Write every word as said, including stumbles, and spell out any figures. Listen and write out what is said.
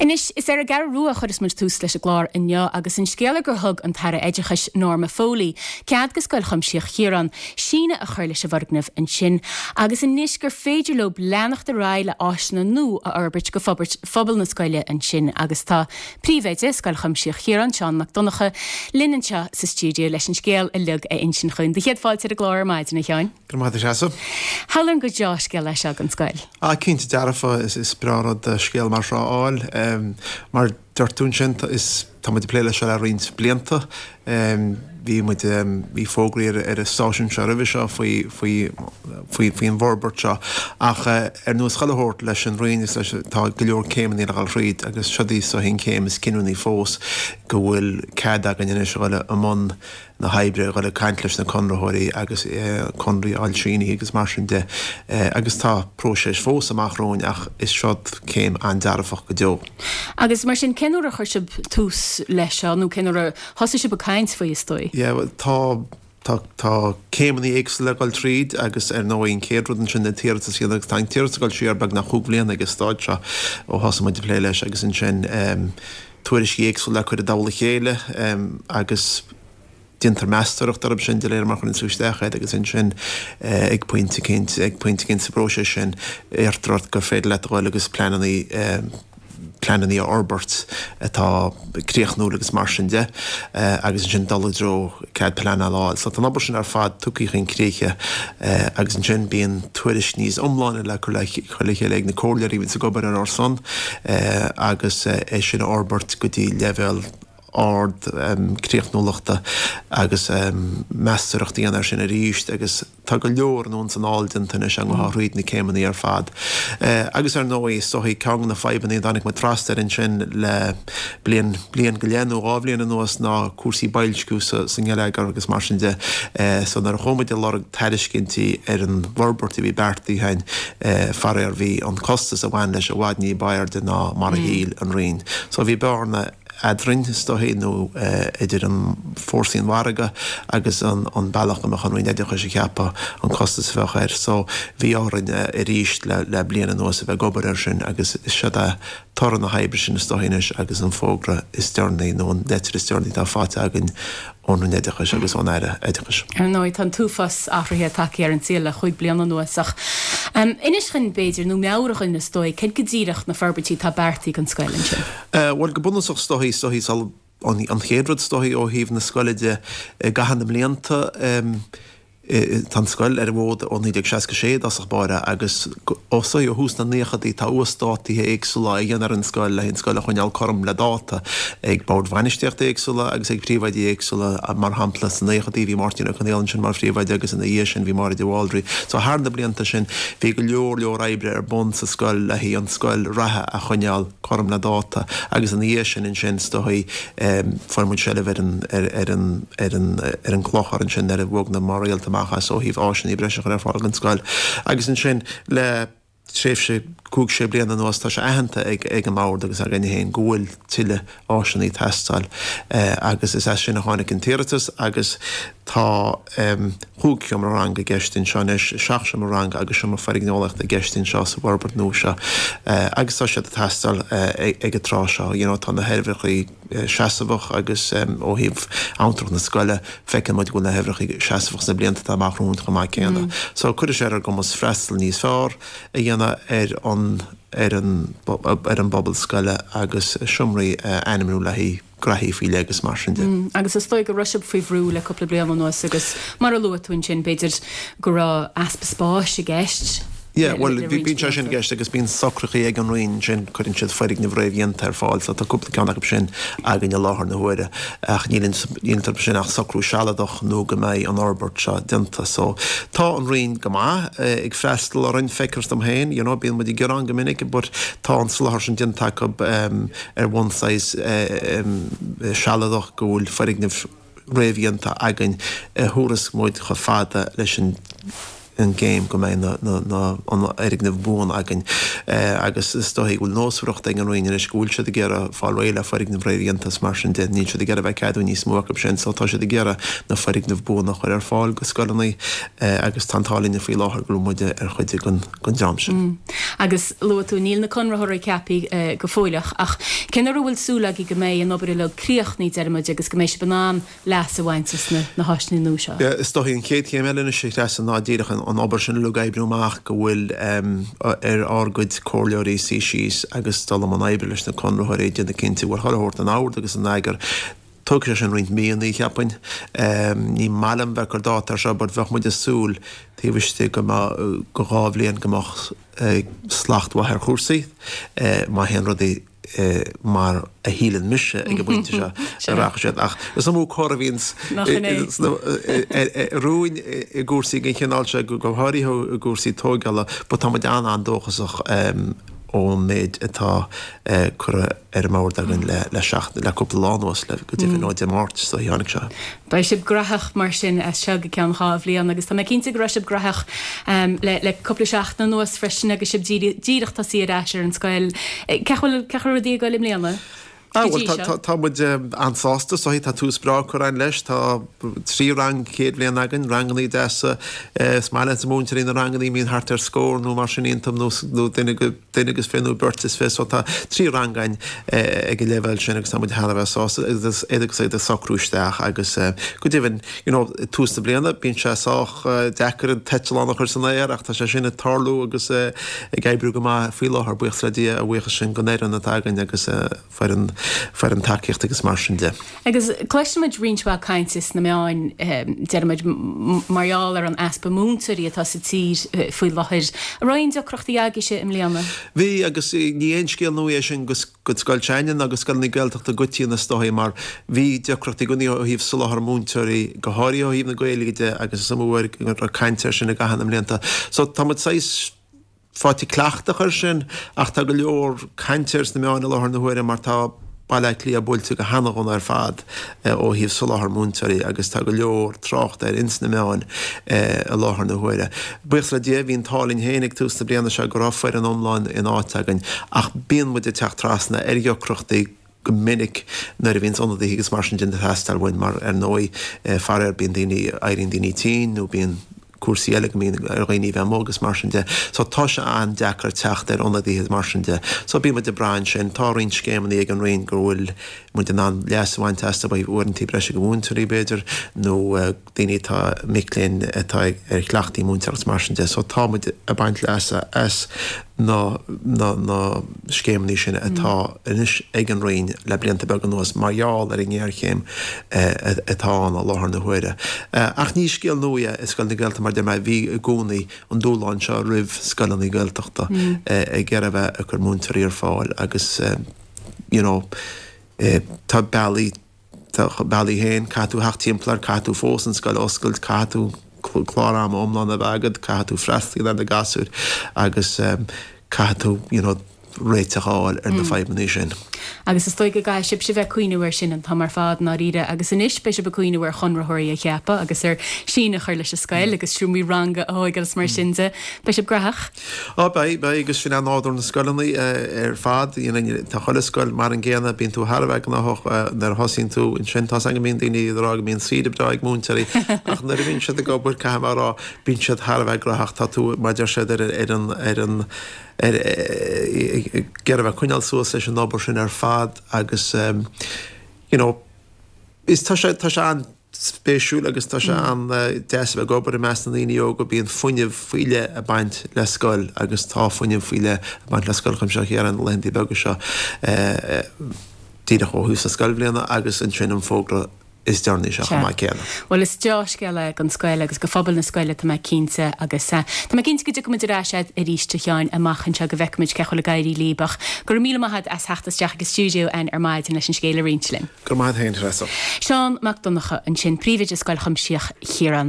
Anois is ar an gCeathrú Rua a chuireas muid tús leis an gclár inniu agus an scéal gur thug an tAire Oideachais Norma Foley cead do Scoil Chuimsitheach Chiaráin síneadh a chur leis an bhfoirgneamh ansin agus anois gur féidir leo leanacht ar aghaidh le áiseanna nua a fhorbairt go forbairt phobal na scoile ansin agus tá príomhoide Scoil Chuimsitheach Chiaráin Seán Mac Donncha linn anseo sa stiúideo leis an scéal uilig a insint dúinn. Do chéad fáilte ar an gclár ar maidin a Sheáin. Go maith Treasa. Hall go deá-scéal leis an scoil. A cinnte dearfa is is breá rud scéal mar seo a fháil mar dúirt tú sin is tá muid ag plé leis seo le roinnt blianta. Bhí muid bhí fógraí ar ar an stáisiún seo roimhe seo faoi faoi faoi faoin bhforbairt seo ach ar nós chuile shórt leis an Roinn is leis tá go leor céimeanna le dhul thríd agus seo í so an chéim is cinniúnaí fós go bhfuil cead againn anois a dhul i mbun na hoibre a dhul ag caint leis na conraitheoirí agus conraí a shíniú agus mar sin de agus tá próiseas fós amach romhainn ach is seo céim an-dearfach go deo. Agus mar sin cén uair a chuir sibh tús leis seo nó cén uair a thosaigh sibh ag caint faoi is dóigh? Yeah, tá Tá tá céimeanna éagsúla le dhul tríd agus ar ndóigh an chéad rud ansin na t-iarratas agus tá an t-iarratas ag dul siar beagnach cúig bliana ag an staid seo ó thosaigh muid ag plé leis agus ansin um, tuairiscí éagsúla le cur i dtoll a chéile um, agus déantar meastóireacht orthu sin de réir mar chuireann tú isteach iad agus ansin ag pointe éicint ag pointe éicint sa bpróiseas sin iarrtar ort gur féidir leat a dhul agus pleananna pleananna a fhorbairt atá críochnúil agus mar sin de agus ansin dul i dtreo cead pleanála a fháil. So tá an obair sin ar fad tugtha chun críche agus ansin bíonn tuairisc níos iomláine le cur le cur le chéile ag na comhairleoirí a bhíonn ag obair ar ár son agus é sin a fhorbairt go dtí leibhéal ard um, críochnúlachta agus um, meastóireacht a dhéanamh air sin arís agus tá go leor anonn is anall déanta anois an thríd na céimeanna ar fad. Uh, agus ar ndóigh is dóigh ceann de na fadhbanna a tháinig muid trasna air ansin le bliain bliain go leith nó dhá bhliain anuas ná cúrsaí boilsciú sa, sa ngeilleagar agus mar sin de uh, so nuair a chuaigh muid ag lorg tairiscintí ar an bhforbairt a bhí beartaithe againn uh, faraor bhí an costas a bhain leis i bhfad ní b'airde ná mar a mm. shíl an Roinn. So bhí bearna eadrainn is dóigh nó idir an fórsaí an mhargaidh agus an, an bealach go mbeadh an Roinn Oideachais ag ceapadh an costas a bheadh air. So bhí orainn arís le, le bliain anuas a bheith ag obair air sin agus is seo é toradh na hoibre sin is dóigh anois agus an fógra is deireanaí nó an leitir is deireanaí atá faighte againn ón Roinn Oideachais agus ón Aire Oideachais. Ar ndóigh tá an t-uafás athruithe tagtha ar an saol le cúig bliana anuas ach um, inis dúinn b'fhéidir nó meabhraigh dúinn is dóigh cad go díreach na forbairtí atá beartaithe don scoil ansin. Uh, Well go bunúsach is dóigh is dóigh an, an chéad rud is dóigh ó thaobh na scoile de i gcaitheamh na mblianta um, Tá an scoil ar an bhfód ó naoi déag seasca sé i dtosach báire agus ó ó thús na naochadaí tá uasdátuithe éagsúla á dhéanamh ar an scoil le an scoil a choinneáil cothrom le dáta ag bord bhainistíochta éagsúla agus ag príomhoidí éagsúla mar shampla sna naochadaí bhí Máirtín Ó Conghaile ansin mar phríomhoide agus ina dhiaidh sin bhí Máire de Bhaldraithe. So thar na blianta sin bhí go leor leor oibre ar bun sa scoil le haghaidh an scoil reatha a choinneáil cothrom le dáta agus ina dhiaidh sin ansin is dóigh fuair muid seilbh ar an ar ar an ar an ar an clochar ansin ar a bhog na maréalta amach as ó thaobh áiseanna breise a chur ar fáil don scoil. Agus ansin le tréimhse cúig sé bliana anuas tá sé aitheanta ag ag an mbord agus againn féin go bhfuil tuilleadh áiseanna ag teastáil agus is as sin a tháinig an t-iarratas agus tá um, cúig sheomra ranga i gceist anseo anois, seacht seomra ranga agus seomra foirgneolaíochta i gceist anseo sa bhforbairt nua seo agus tá siad ag teastáil ag an tráth seo. You know, tá na huimhreacha seasamhach agus um, ó thaobh abhantrach na scoile feiceann muid go bhfuil na huimhreacha seasamhach sna blianta atá amach romhainn chomh maith céanna. Mm. So cuirfidh sé ar ár gcumas freastal níos fearr a dhéanamh ar an ar an ar an bpobal scoile agus seomraí ainmniú le haghaidh graithí faoi leith agus mar sin de. Mm, agus is dóigh go raibh sibh faoi bhrú le cúpla bliain anuas agus mar a luaigh tú ansin b'fhéidir go raibh easpa spáis i gceist. Yeah, well bíonn sé sin i gceist agus bíonn socruithe ag an Roinn sin cuireann siad foirgnimh réamhdhéanta ar fáil, so tá cúpla ceann acu sin againn i láthair na huaire ach níl iontu sin ach socrú sealadach nó go mbeidh an fhorbairt seo déanta. So tá an Roinn go maith ag freastal orainn feictear dom féin, you know, bíonn muid ag gearán go minic, but tá an soláthar sin déanta acu um, ar bhonn saghas um, sealadach go bhfuil foirgnimh réamhdhéanta againn a thabharfas muid chomh fada leis an an gcéim go mbeidh na, na, na, an fhoirgneamh buan againn agus is dóigh go bhfuil nósmhaireacht ag an Roinn anois go bhfuil siad ag iarraidh fáil réidh le foirgnimh réamhdhéanta is mar sin de, níl siad ag iarraidh bheith ag ceadú níos mó acu sin so tá siad ag iarraidh na foirgnimh buana a chur ar fáil go scoileanna agus tá an t-ádh linne faoi láthair go bhfuil muide ar chuid den, den dream sin. Agus luaigh tú, níl na conraitheoirí ceaptha go fóilleach ach cén uair a bhfuil súil agaibh go mbeidh an obair uilig críochnaithe, deir muid, agus go mbeidh sibh in ann leas a bhaint as na háiseanna nua seo? Is dóigh an chéad chéim eile anois a Threasa ná díreach an obair sin uilig a oibriú amach go bhfuil ar ár gcuid comhairleoirí suí síos agus dul i mbun oibre leis na conraitheoirí ag déanamh cinnte go bhfuil chuile shórt in ord agus in eagar. Tógfaidh sé sin roinnt míonna, cheapfainn. Ní maith liom bheith ag cur dáta air seo but bheadh muid ag súil taobh istigh go mbeadh dhá bhliain go mbeadh slacht mhaith ar chúrsaí má théann rudaí mar a shíleann mise ag an bpointe seo a rachaidh siad. Ach is iomaí cor a bhíonns romhainn i gcúrsaí den chineál seo, go háirithe i gcúrsaí tóigeála, but tá muid an-an-dóchasach ón méid atá curtha ar an mbord againn le seachtain, le cúpla lá anuas, le go deimhin ó Dé Máirt so tháinig sé. Beidh sibh graitheach mar sin as seo go ceann dhá bhliain agus tá mé cinnte go raibh sibh graitheach le le cúpla seachtain anuas freisin agus sibh díreach tosaí ar ais ar an scoil. Cén chaoi a bhfuil rudaí ag dul i mbliana? Ah bhuel tá tá muid an-sásta so tá tús breá curtha againn leis tá trí rang chéad bhliain againn, rangannaí deasa, is maith leis na múinteoirí na rangannaí mbíonn thart ar scór nó mar sin iontu nó nó duine go duine agus fiche nó beirt is fiche so tá trí rang againn ag an leibhéal sin agus tá muid thar a bheith sásta agus iad agus iad ag socrú isteach agus go deimhin you know tús na bliana bíonn sé sách deacair an t-eitleán a chur san aer ach tá sé sin ag tarlú agus ag oibriú go maith faoi láthair buíochas le Dia a bhuíochas sin don fhoireann atá againn agus foireann foireann tacaíochta agus mar sin de. Agus cloisimid roinnt mhaith cainte sna meáin, deirimid, mar gheall ar an easpa múinteoirí atá sa tír faoi láthair. An raibh aon deacrachtaí agaibhse i mbliana? Bhí, agus ní aon scéal nua é sin go scoil s'againne ná go scoileanna Gaeltachta i gcoitinne is dóigh mar bhí deacrachtaí i gcónaí ó thaobh soláthar múinteoirí, go háirithe ó thaobh na Gaeilge de agus is iomaí uair go raibh caint air sin i gcaitheamh na mblianta. So tá muid saghas faighte cleachtach air sin ach tá go leor cainte air sna meáin i láthair na huaire mar tá Baile Átha Cliath buailte go hana-dhona ar fad ó thaobh soláthar múinteoirí agus tá go leor tráchta air ins na meáin i láthair na huaire. Buíochas le Dia bhí an t-ádh linn féin ag tús na bliana seo go raibh foireann iomlán in áit againn ach bíonn muid ag teacht trasna ar dheacrachtaí go minic nuair a bhíonns ionadaithe agus mar sin de ag teastáil uainn mar ar ndóigh faraor bíonn daoine, éiríonn daoine tinn nó bíonn cúrsaí eile go mbíonn ar dhaoine a bheith amuigh agus mar sin de. So tá sé an-deacair teacht ar ionadaithe mar sin de. So bíonn muid ag brath ansin. Tá roinnt scéimeanna ag an Roinn go bhfuil muid in ann leas a bhaint astu ó thaobh uaireantaí breise do mhúinteoirí b'fhéidir nó daoine atá, mic léinn atá ar chleachtaí múinteoireachta agus mar sin de. So tá muid ag baint leasa as na na na scéimeanna sin atá anois ag an Roinn le blianta beaga anuas mar gheall ar an ngéarchéim atá ann i láthair na huaire. Ach ní scéal nua é i scoileanna Gaeltachta mar deir mé, bhí i gcónaí an dúshlán seo roimh scoileanna Gaeltachta ag iarraidh a bheith ag cur múinteoirí ar fáil agus you know tá bealaí Tá a bealaí féin, caithfidh tú theacht timpeall air, caithfidh tú fós an scoil a oscailt, caithfidh tú clár ama iomlán a bheith agat, caithfidh tú freastal ar na gasúir agus caithfidh tú you know réiteach a fháil ar na fadhbanna sin. Agus is dóigh go gcaithfidh sibhse bheith ag cuimhneamh air sin an t-am ar fad i ndáiríre agus anois beidh sibh ag cuimhneamh ar chonraitheoirí a cheapadh agus ar síneadh a chur leis an scoil agus seomraí ranga a thóigeáil is mar sin de. Beidh sibh graitheach. Á, beidh, beidh, agus sin é nádúr na scoileanna ar fad. Tá chuile scoil mar an gcéanna, bíonn tú thar a bheith gnóthach nuair a thosaíonn tú ansin. Tá's agam go mbíonn daoine ag rá go mbíonn saoire breá ag múinteoirí ach nuair a bhíonn siad ag obair, caithfidh mé a rá, bíonn siad thar a bheith graitheach. Tá tú, mar a deir siad, ar ar an, ar an, ar, ag iarraidh a bheith ag coinneáil suas leis an obair sin ar fad agus you know, is tá sé, tá sé an, spéisiúil agus tá sé an-deas a bheith ag obair i measc na ndaoine óga. Bíonn fuinneamh faoi leith ag baint le scoil agus tá fuinneamh faoi leith ag baint le Scoil Chuimsitheach Chiaráin na laethanta beaga seo díreach ó thús na scoilbhliana agus ansin an fógra is deireanaí seo chomh maith céanna. Bhuel is deá-scéal é don scoil agus do phobal na scoile tá mé cinnte agus tá mé cinnte go dtiocfaidh muid ar ais agat arís a Sheáin amach anseo go bhfeicfimid cén chaoi a bhfuil ag éirí libh ach go raibh míle maith agat as theacht isteach ag an stiúideo ar maidin leis an scéal a roinnt linn. Go raibh maith agat féin, Treasa. Seán Mac Donncha ansin, Príomhoide Scoil Chuimsitheach Chiaráin.